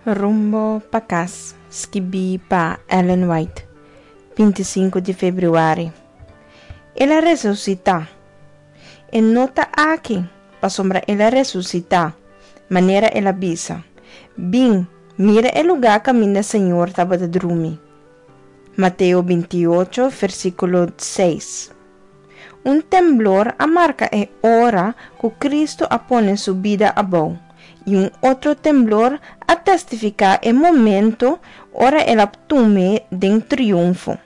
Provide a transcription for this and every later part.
Rumbo pa kas, skibí pa Ellen White, 25 di febrüari. El a resusitá. E no ta aki, pasobra el a resusitá, manera el a bisa. Bin, mira e lugá kaminda Señor tabata drumi. Mateo 28, versíkulo 6. Un temblor a marka e ora ku Kristu a pone su bida abou, i un otro temblor a testifiká e momento ora el a tum'é den triunfo.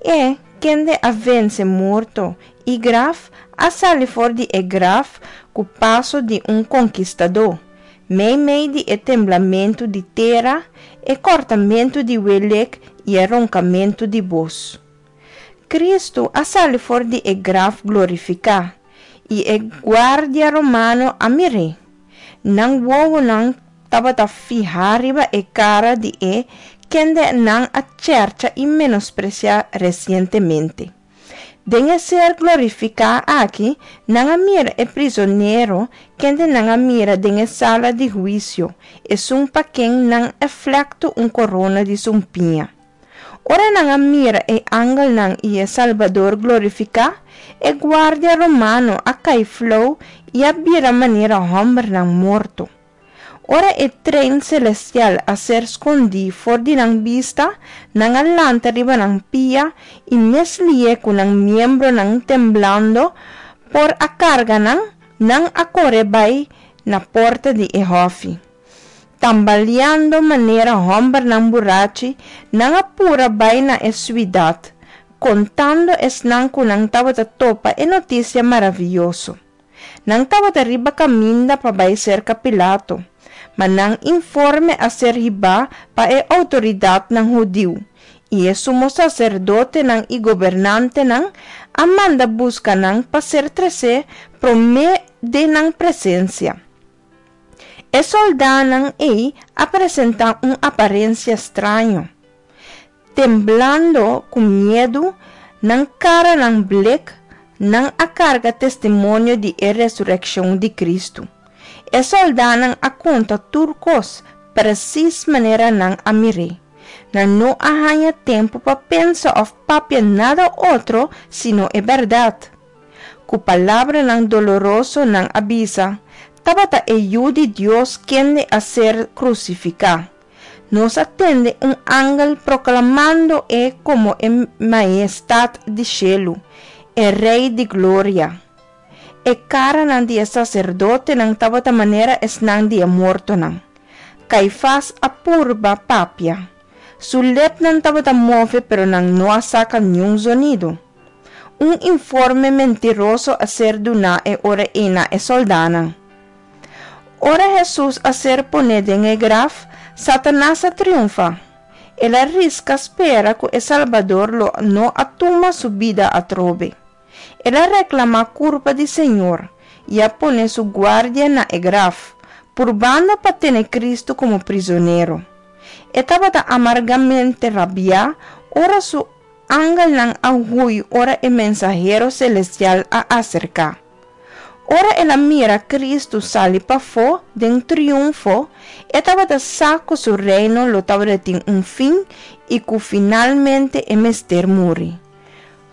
E, kende a vense morto i graf, a sali for di e graf ku paso di un konkistadó, meimei di e temblamentu di tera, e kòrtamentu di welek i e ronkamentu di bos. Kristu a sali for di e graf glorifiká, i e guardia romano a mir'é. Nan wowonan tabata fihá riba e kara di e kende nan a chèrcha i menospresiá resientemente. Den e ser glorifiká aki, nan a mira e prizonero kende nan a mira den e sala di huisio, esun pa ken nan a flèktu un korona di sumpiña. Ora nan a mira e angelnan i e Salbador glorifiká, e guardia romano a kai flou i a bira manera hòmbernan morto. Ora e trein selestial a ser skondí for di nan bista, nan a lanta riba nan pia i mes lié ku nan miembronan temblando por a karga nan, nan a kore bai na porta di e hòfi. Tambaleando manera hòmbernan burachi, nan a pura bai na e suidat, kontando esnan ku nan tabata topa e notisia maravioso. Nan tabata riba kaminda pa bai serka Pilato, ma nan informe a ser hibá pa e outoridatnan hudiu, i e sumo saserdotenan i gobernantenan a manda buska nan pa ser tresé promé den nan presensia. E sòldánan ei a presentá un aparensia straño. Temblando ku miedu, nan karanan blek, nan a karga testimonio di e resurekshon di Kristu. E sòldánan a konta tur kos presis manera nan a mir'é. Nan no a haña tempu pa pensa òf papia nada otro sino e bèrdat. Ku palabranan doloroso nan a bisa, Tabata e Yu di Dios kende a ser krusifiká. Nos a tende un angel proklamando e komo e Maestat di shelu, e Rei di gloria. E karanan di e saserdotenan tabata manera esnan di e mortonan. Kaifas a purba papia. Su lepnan tabata move pero nan no a saka niun zonido. Un informe mentiroso a ser duná e ora ei na e sòldánan. Ora Hesus a ser poné den e graf, Satanas a triunfá. El a riska spera ku e Salbador lo no a tuma su bida atrobe. El a reklamá kurpa di Señor i a pone su guardia na e graf, purbando pa tene Kristu komo prizonero. E tabata amargamente rabiá ora su angelnan a hui ora e mensahero selestial a aserká. Ora el a mira Kristu sali pafó den triunfo, e tabata sa ku su reino lo tabatin un fin i ku finalmente e mester muri.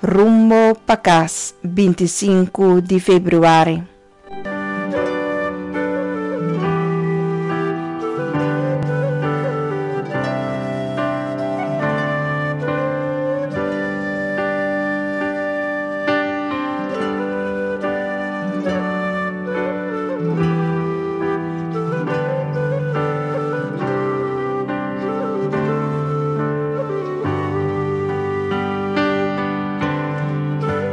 Rumbo pa kas, 25 di febrüari.